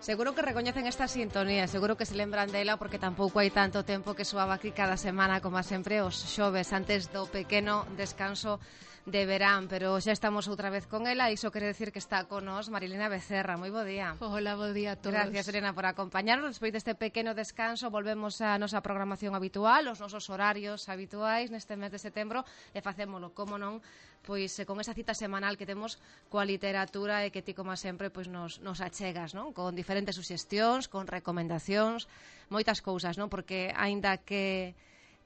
Seguro que recoñecen esta sintonía, seguro que se lembran dela porque tampouco hai tanto tempo que soaba aquí cada semana, como sempre, os xoves antes do pequeno descanso de verán, pero xa estamos outra vez con ela e iso quere decir que está con nos Marilena Becerra. Moi bo día. Hola, bo día a todos. Gracias, Elena, por acompañarnos. Despois deste pequeno descanso volvemos á nosa programación habitual, os nosos horarios habituais neste mes de setembro e facémolo, como non, pois con esa cita semanal que temos coa literatura e que ti, como sempre, pois nos achegas, non? Con diferentes suxestións, con recomendacións, moitas cousas, non? Porque aínda que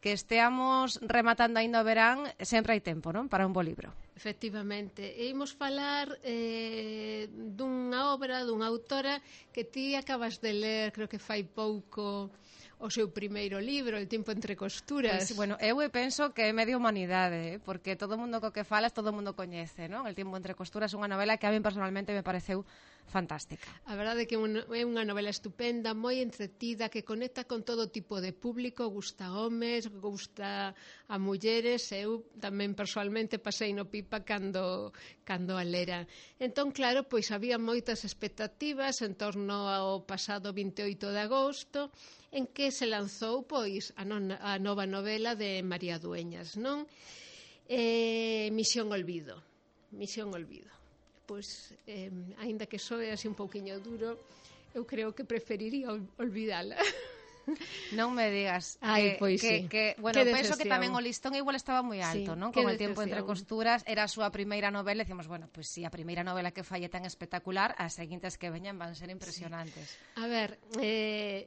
esteamos rematando aínda o verán, sempre hai tempo, non? Para un bo libro. Efectivamente, e imos falar dunha obra, dunha autora que ti acabas de ler, creo que fai pouco, o seu primeiro libro, El tiempo entre costuras. Pues, bueno, eu penso que é medio humanidade, porque todo o mundo co que falas, todo o mundo coñece, non? El tiempo entre costuras é unha novela que a mí personalmente me pareceu fantástica. A verdade é que é unha novela estupenda, moi entretida, que conecta con todo tipo de público, gusta a homes, gusta a mulleres, eu tamén personalmente pasei no pipa cando a lera. Entón, claro, pois había moitas expectativas en torno ao pasado 28 de agosto, en que se lanzou pois a nova novela de María Dueñas, non? Misión Olvido. Pois, aínda que soe así un pouquiño duro, eu creo que preferiría olvidala. Non me digas. Pois sí. Bueno, penso que tamén o listón igual estaba moi alto, sí, non? Con El tiempo entre costuras, era a súa primeira novela, e decimos, bueno, pois si a primeira novela que fai é tan espectacular, as seguintes que veñan van ser impresionantes. Sí. A ver,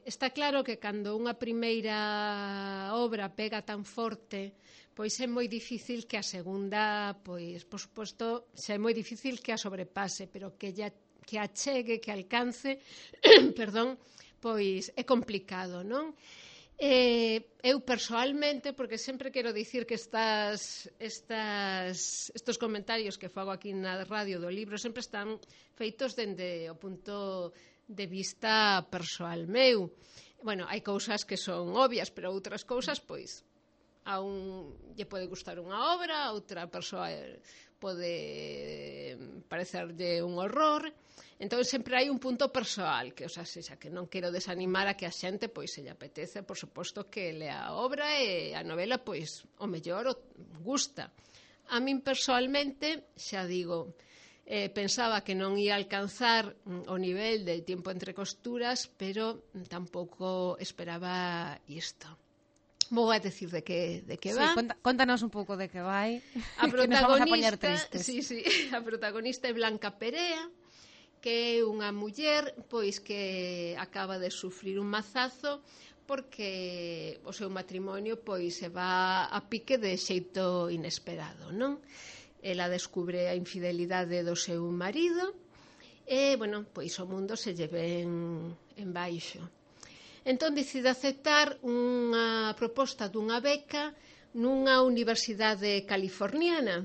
está claro que cando unha primeira obra pega tan forte, pois é moi difícil que a segunda, pois, por suposto, xa é moi difícil que a sobrepase, pero que a chegue, que alcance, perdón, pois é complicado, non? Eu persoalmente, porque sempre quero dicir que estos comentarios que fago aquí na radio do libro sempre están feitos dende o punto de vista persoal meu. Bueno, hai cousas que son obvias, pero outras cousas, pois, a un lle pode gustar unha obra, a outra persoa pode parecerlle un horror. Entón, sempre hai un punto persoal, que, que non quero desanimar a que a xente, pois, se lle apetece, por suposto, que lea a obra e a novela, pois, o mellor gusta. A min, persoalmente, xa digo, pensaba que non ia alcanzar o nivel del tiempo entre costuras, pero tampouco esperaba isto. Vou a decir de que va. Sí, contanos un pouco de que vai. A protagonista, que nos vamos a poñer tristes. Sí, a protagonista é Blanca Perea, que é unha muller pois que acaba de sufrir un mazazo porque o seu matrimonio pois se va a pique de xeito inesperado, non? Ela descubre a infidelidade do seu marido e, bueno, pois o mundo se lle ven en baixo. Entón decide aceptar unha proposta dunha beca nunha universidade californiana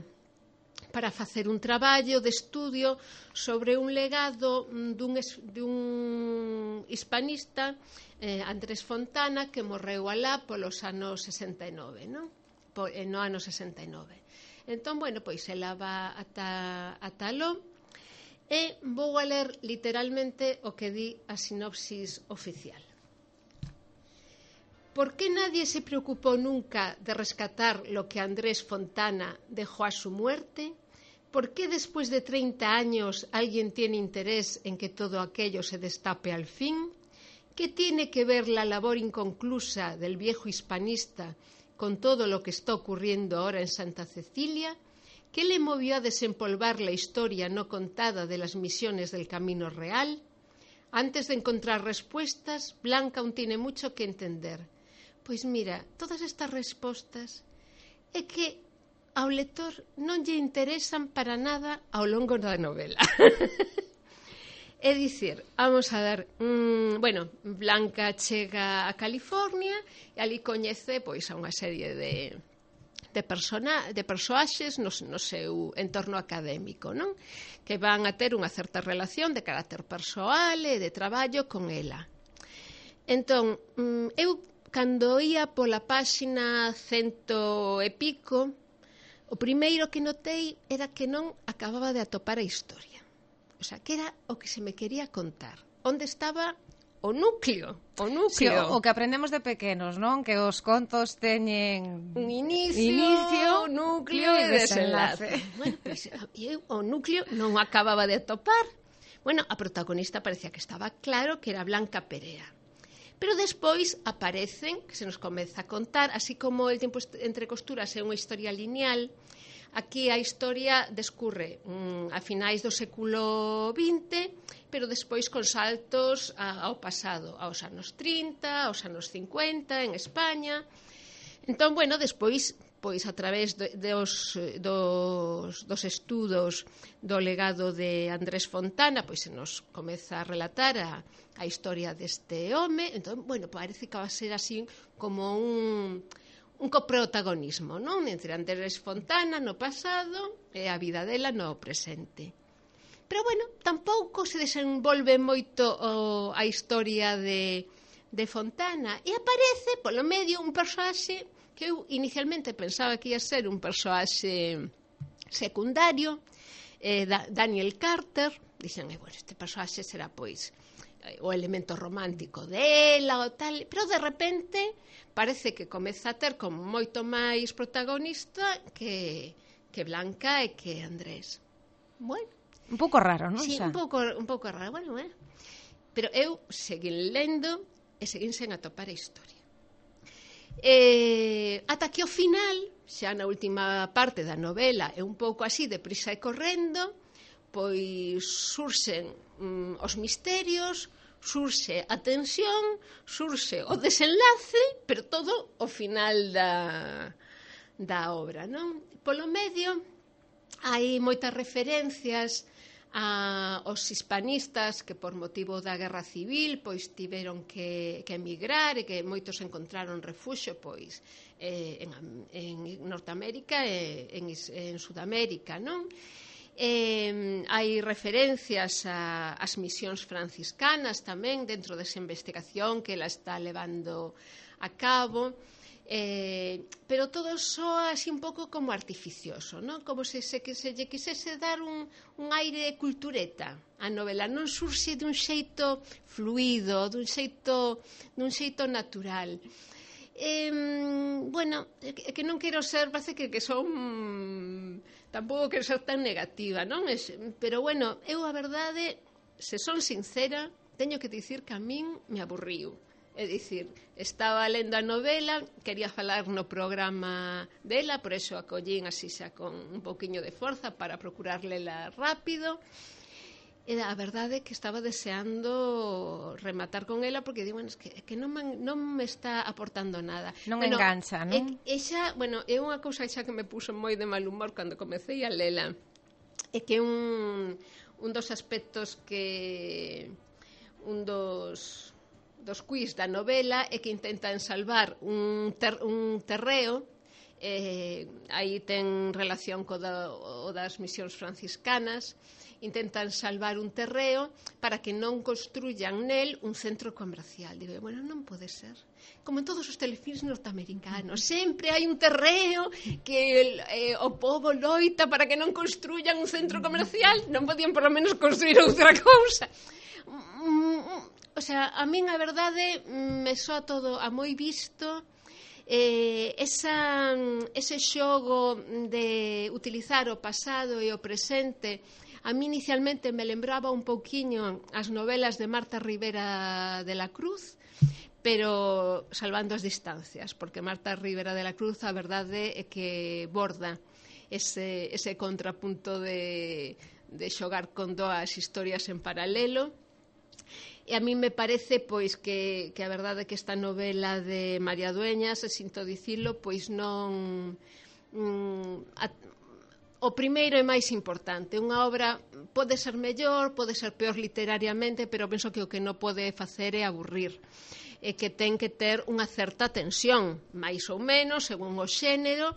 para facer un traballo de estudio sobre un legado dun hispanista, Andrés Fontana, que morreu alá polos anos 69, non? No ano 69. Entón, bueno, pois ela va ata aló e vou a ler literalmente o que di a sinopsis oficial. ¿Por qué nadie se preocupó nunca de rescatar lo que Andrés Fontana dejó a su muerte? ¿Por qué después de 30 años alguien tiene interés en que todo aquello se destape al fin? ¿Qué tiene que ver la labor inconclusa del viejo hispanista con todo lo que está ocurriendo ahora en Santa Cecilia? ¿Qué le movió a desempolvar la historia no contada de las misiones del Camino Real? Antes de encontrar respuestas, Blanca aún tiene mucho que entender. Pois mira, todas estas respostas é que ao lector non lle interesan para nada ao longo da novela. É dicir, vamos a ver, Blanca chega a California e ali coñece pois a unha serie de persoaxes no seu entorno académico, non? Que van a ter unha certa relación de carácter persoal e de traballo con ela. Entón, eu cando ia pola páxina 100 e pico, o primeiro que notei era que non acababa de atopar a historia. O sea, que era o que se me quería contar. onde estaba o núcleo. Sí, o que aprendemos de pequenos, non? Que os contos teñen un inicio, núcleo e desenlace. Bueno, pois, o núcleo non acababa de atopar. Bueno, a protagonista parecía que estaba claro que era Blanca Perea. Pero despois aparecen, que se nos comeza a contar, así como El tiempo entre costuras é unha historia lineal, aquí a historia descurre a finais do século XX, pero despois con saltos ao pasado, aos anos 30, aos anos 50, en España. Entón, bueno, despois, pois a través dos estudos do legado de Andrés Fontana, pois se nos comeza a relatar a historia deste home. Entón, bueno, parece que va a ser así como un coprotagonismo, non? Entre Andrés Fontana no pasado e a vida dela no presente. Pero, bueno, tampouco se desenvolve moito a historia de Fontana, e aparece, polo medio, un persoaxe que eu inicialmente pensaba que ia ser un persoaxe secundario, Daniel Carter. Dixen, bueno, este persoaxe será, pois, o elemento romántico dela ou tal, pero de repente parece que comeza a ter como moito máis protagonista que Blanca e que Andrés. Bueno, un pouco raro, non? Sí, un pouco raro, bueno, pero eu seguín lendo e seguín sen atopar a historia. Ata que ao final, xa na última parte da novela, é un pouco así, deprisa e correndo, pois surxen os misterios, surxe a tensión, surxe o desenlace, pero todo ao final da obra, non? Polo medio hai moitas referencias aos hispanistas que por motivo da guerra civil pois tiveron que emigrar e que moitos encontraron refuxio pois en Norteamérica e en Sudamérica, non? Hai referencias ás misións franciscanas tamén dentro desa investigación que ela está levando a cabo, pero todo soa así un pouco como artificioso, non? Como se lle quisese dar un aire cultureta a novela, non surxe dun xeito fluido, dun xeito natural. Bueno, que non quero ser, parece que son, tampouco quero ser tan negativa, non? Pero bueno, eu a verdade, se son sincera, teño que dicir que a min me aburriu. É dicir, estaba lendo a novela, quería falar no programa dela, por eso acollín así xa con un pouquiño de forza para procurar lela rápido. E a verdade é que estaba deseando rematar con ela porque digo, bueno, es que non me está aportando nada. Non engancha, non? É unha cousa xa que me puso moi de mal humor cando comecei a lela. É que un dos aspectos que un dos quiz da novela é que intentan salvar un terreo, aí ten relación co das misións franciscanas, intentan salvar un terreo para que non construyan nel un centro comercial. Digo, bueno, non pode ser. Como en todos os telefilms norteamericanos, sempre hai un terreo que o povo loita para que non construyan un centro comercial, non podían por lo menos construir outra cousa. O sea, a min a verdade me soa todo a moi visto. Ese xogo de utilizar o pasado e o presente a mí inicialmente me lembraba un pouquiño as novelas de Marta Rivera de la Cruz, pero salvando as distancias, porque Marta Rivera de la Cruz a verdade é que borda ese contrapunto de xogar con dúas historias en paralelo. E a mí me parece pois que a verdade é que esta novela de María Dueñas, sinto dicilo, pois non o primeiro é máis importante. Unha obra pode ser mellor, pode ser peor literariamente, pero penso que o que non pode facer é aburrir, e que ten que ter unha certa tensión, máis ou menos, según o xénero,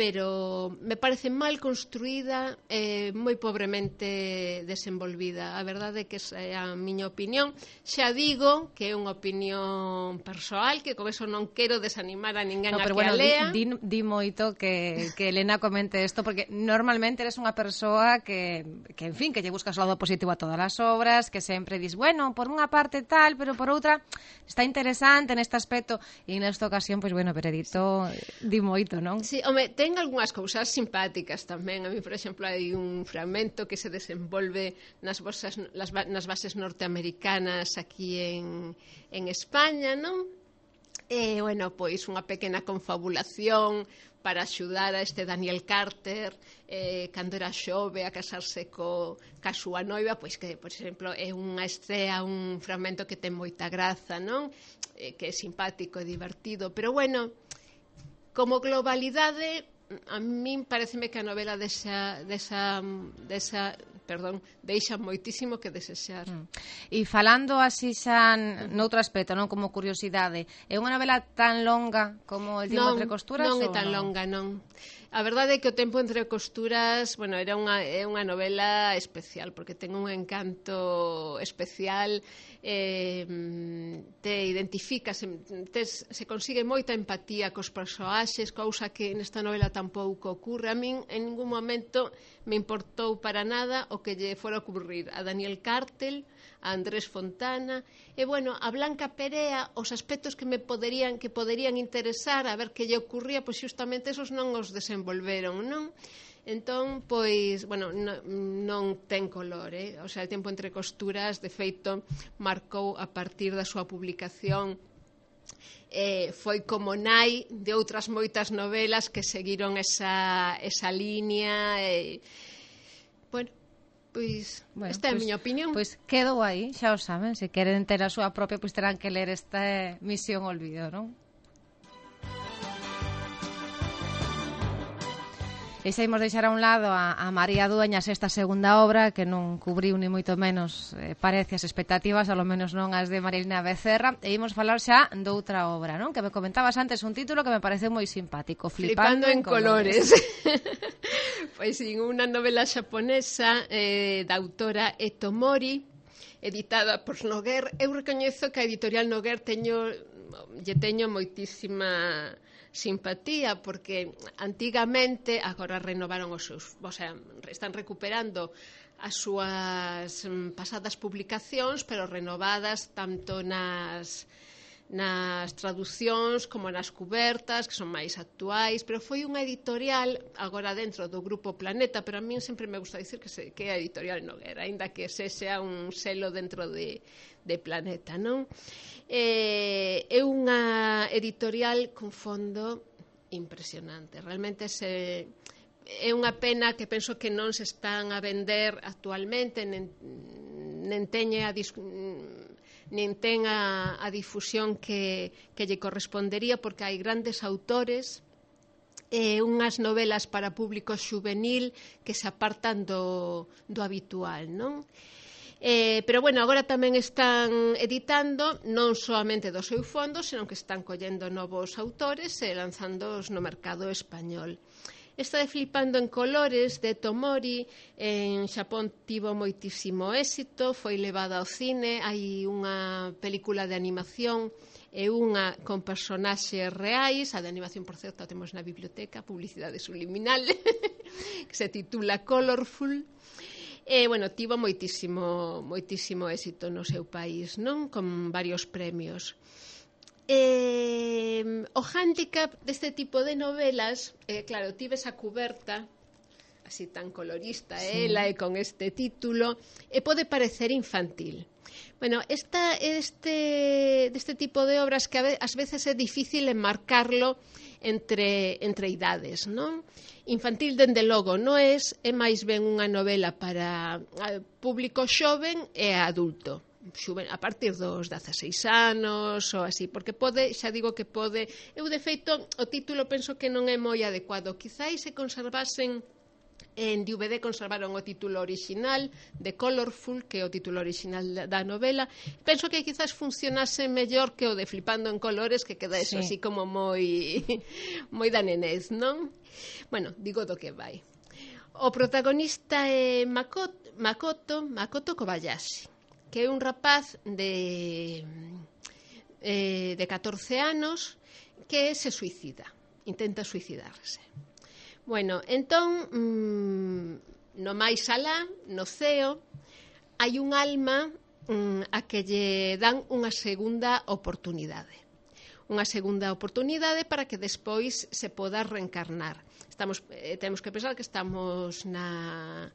pero me parece mal construída e moi pobremente desenvolvida. A verdade é que esa é a miña opinión. Xa digo que é unha opinión persoal, que con eso non quero desanimar a ninguén a que a lea. Di moito que Elena comente isto, porque normalmente eres unha persoa que en fin, que lle buscas o lado positivo a todas as obras, que sempre dis, bueno, por unha parte tal, pero por outra está interesante neste aspecto, e nesta ocasión, pois bueno, Veredito di moito, non? Sí, home, ten algunhas cousas simpáticas tamén. A mí, por exemplo, hai un fragmento que se desenvolve nas bases norteamericanas aquí en España, non? E, bueno, pois unha pequena confabulación para axudar a este Daniel Carter cando era xove a casarse ca súa noiva, pois que, por exemplo, é unha estrea, un fragmento que ten moita graza, non? Que é simpático e divertido, pero, bueno, como globalidade, a min pareceme que a novela deixa moitísimo que desexar. E falando así xa noutro aspecto, non como curiosidade, é unha novela tan longa como El tiempo entre costuras? Non é tan longa, non. A verdade é que O tempo entre costuras, bueno, é unha novela especial, porque ten un encanto especial, te identificas, se consigue moita empatía cos persoaxes, cousa que nesta novela tampouco ocurre. A min en ningún momento me importou para nada o que lle fora ocurrir a Daniel Cartel, a Andrés Fontana, e, bueno, a Blanca Perea, os aspectos que poderían interesar, a ver que lle ocurría, pois justamente esos non os desenvolveron, non? Entón, pois, bueno, non ten color, O sea, El tiempo entre costuras, de feito, marcou a partir da súa publicación, foi como nai de outras moitas novelas que seguiron esa línea, bueno, pois, esta é a miña opinión. Pois quedou aí, xa o saben, se queren ter a súa propia, pois terán que ler esta Misión Olvido, non? E xa imos deixar a un lado a María Dueñas, esta segunda obra que non cubriu ni moito menos parece as expectativas, ao menos non as de Marilena Becerra, e imos falar xa doutra obra, non? Que me comentabas antes un título que me pareceu moi simpático, Flipando en colores. Pois sí, unha novela xaponesa da autora Eto Mori, editada por Noguer. Eu recoñezo que a editorial Noguer lle teño moitísima simpatía, porque antigamente, agora renovaron os seus, o sea, están recuperando as súas pasadas publicacións, pero renovadas tanto nas traducións como nas cubertas, que son máis actuais, pero foi unha editorial agora dentro do Grupo Planeta, pero a min sempre me gusta dicir que é a editorial Noguera, aínda que sexa un selo dentro de Planeta, non? É unha editorial con fondo impresionante, realmente é unha pena que penso que non se están a vender actualmente, nen ten a difusión que lle correspondería, porque hai grandes autores e unhas novelas para público xuvenil que se apartan do habitual, non? Pero, bueno, agora tamén están editando non soamente do seu fondo, senón que están collendo novos autores e lanzándoos no mercado español. Esta de Flipando en colores, de Tomori, en Xapón tivo moitísimo éxito, foi levada ao cine, hai unha película de animación e unha con personaxes reais, a de animación, por certo, temos na biblioteca, publicidade subliminal, que se titula Colorful. E, bueno, tivo moitísimo éxito no seu país, non? Con varios premios. O hándicap deste tipo de novelas, claro, tive esa cuberta así tan colorista, sí, ela e con este título, e pode parecer infantil. Bueno, deste tipo de obras que ás veces é difícil enmarcarlo entre idades, non? Infantil, dende logo, non é máis ben unha novela para público xoven e adulto, a partir dos 16 anos ou así, porque pode, xa digo que pode, eu de feito o título penso que non é moi adecuado, quizáis se conservasen En DVD conservaron o título original de Colorful, que é o título original da novela. Penso que quizás funcionase mellor que o de Flipando en colores, que queda eso así como moi da nenez, non? Bueno, digo do que vai. O protagonista é Makoto Kobayashi, que é un rapaz de 14 anos que se suicida, intenta suicidarse. Bueno, entón, no máis alá, no ceo, hai un alma a que lle dan unha segunda oportunidade. Unha segunda oportunidade para que despois se poda reencarnar. Temos que pensar que estamos na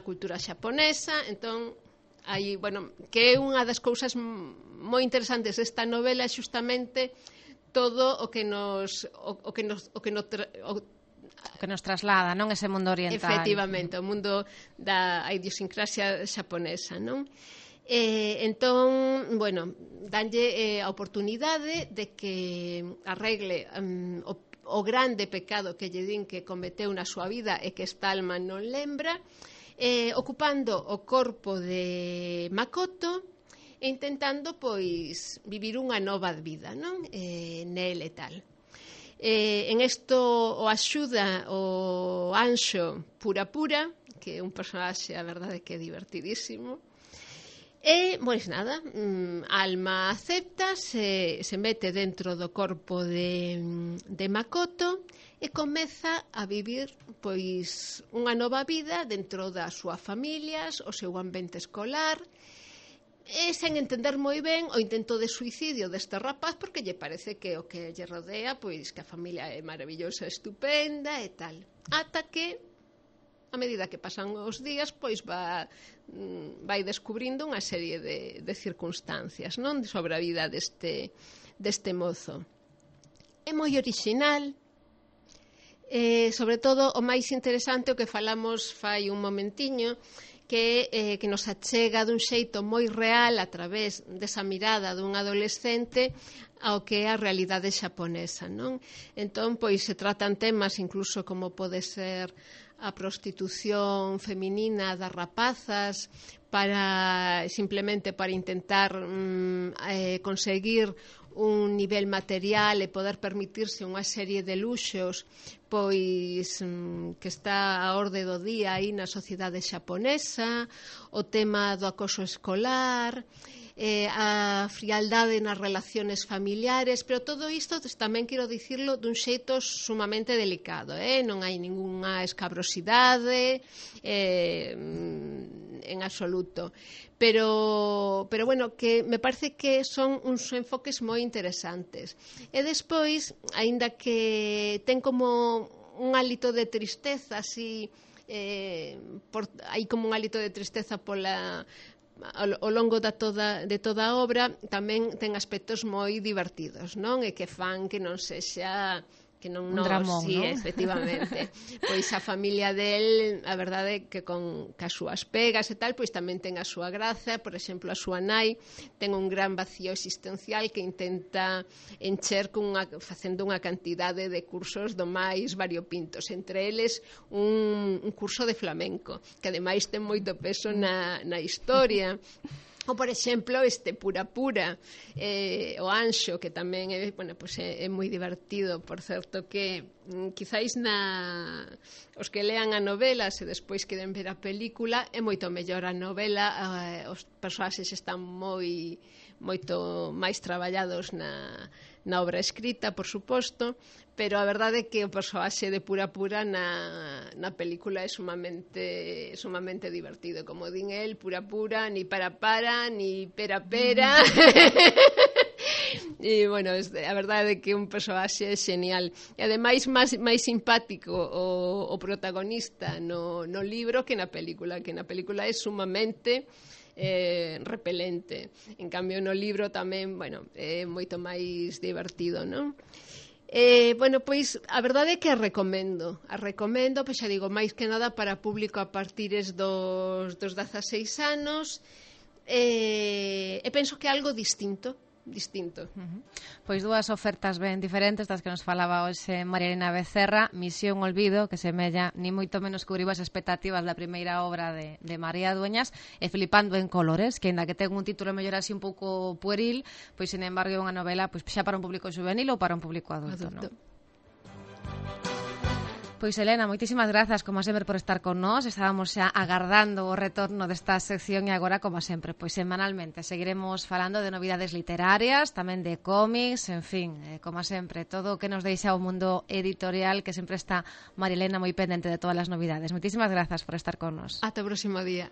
cultura xaponesa, entón, hai, bueno, que é unha das cousas moi interesantes desta novela é xustamente todo o que nos traslada, non, ese mundo oriental. Efectivamente, o mundo da idiosincrasia xaponesa, non? Entón, bueno, danlle a oportunidade de que arregle o grande pecado que lle din que cometeu na súa vida e que esta alma non lembra, ocupando o corpo de Makoto e intentando, pois, vivir unha nova vida, non? Nel e tal. En isto o axuda o Anxo Pura, que é un personaxe, a verdade, que é divertidísimo. E, pois nada, Alma acepta, se mete dentro do corpo de Makoto e comeza a vivir, pois, unha nova vida dentro da súa familia, o seu ambiente escolar, e sen entender moi ben o intento de suicidio deste rapaz, porque lle parece que o que lle rodea, pois que a familia é maravillosa, estupenda e tal. Ata que, a medida que pasan os días, pois vai descubrindo unha serie de circunstancias, non, sobre a vida deste mozo. É moi orixinal, sobre todo o máis interesante o que falamos fai un momentiño, que nos achega dun xeito moi real a través desa mirada dun adolescente ao que é a realidade xaponesa, non? Entón, pois se tratan temas incluso como pode ser a prostitución feminina das rapazas simplemente para intentar conseguir un nivel material e poder permitirse unha serie de luxos pois que está a orde do día aí na sociedade xaponesa, o tema do acoso escolar, a frialdade nas relaciones familiares, pero todo isto tamén quero dicirlo dun xeito sumamente delicado, non hai ningunha escabrosidade en absoluto. Pero bueno, que me parece que son uns enfoques moi interesantes. E despois, aínda que ten como un hálito de tristeza, así, hai como un hálito de tristeza ao longo de toda a obra, tamén ten aspectos moi divertidos, non? E que fan que non sexa que non un dramón, sí, non? Efectivamente. Pois a familia del, a verdade que con as súas pegas e tal, pois tamén ten a súa graza. Por exemplo, a súa nai ten un gran vacío existencial que intenta encher facendo unha cantidade de cursos do máis variopintos, entre eles un curso de flamenco, que ademais ten moito peso na historia. Ou, por exemplo, este Pura, o Anxo, que tamén é moi divertido, por certo, que quizáis os que lean a novela se despois queren ver a película, é moito mellor a novela, os personaxes están moito máis traballados na obra escrita, por suposto, pero a verdade é que o persoaxe de Pura na película é sumamente divertido. Como din el, Pura, ni para, ni pera. E, bueno, a verdade é que un persoaxe genial. E, ademais, máis simpático o protagonista no libro que na película, é sumamente repelente. En cambio, no libro tamén, é moito máis divertido, non? Bueno, pois, a verdade é que a recomendo, pois xa digo, máis que nada para público a partires dos 16 anos, e penso que é algo distinto distinto. Pois dúas ofertas ben diferentes das que nos falaba hoxe María Elena Becerra. Misión Olvido, que semella ni moito menos cubriu as expectativas da primeira obra de María Dueñas, e Flipando en colores, que ainda que ten un título mellor así un pouco pueril, pois sin embargo é unha novela pois xa para un público juvenil ou para un público adulto. Non? Pois Elena, moitísimas grazas como sempre por estar con nós. Estábamos xa agardando o retorno desta sección e agora, como sempre, pois semanalmente seguiremos falando de novidades literarias, tamén de cómics, en fin, como sempre, todo o que nos deixa o mundo editorial, que sempre está María Elena moi pendente de todas as novidades. Moitísimas grazas por estar con nós. Ata o próximo día.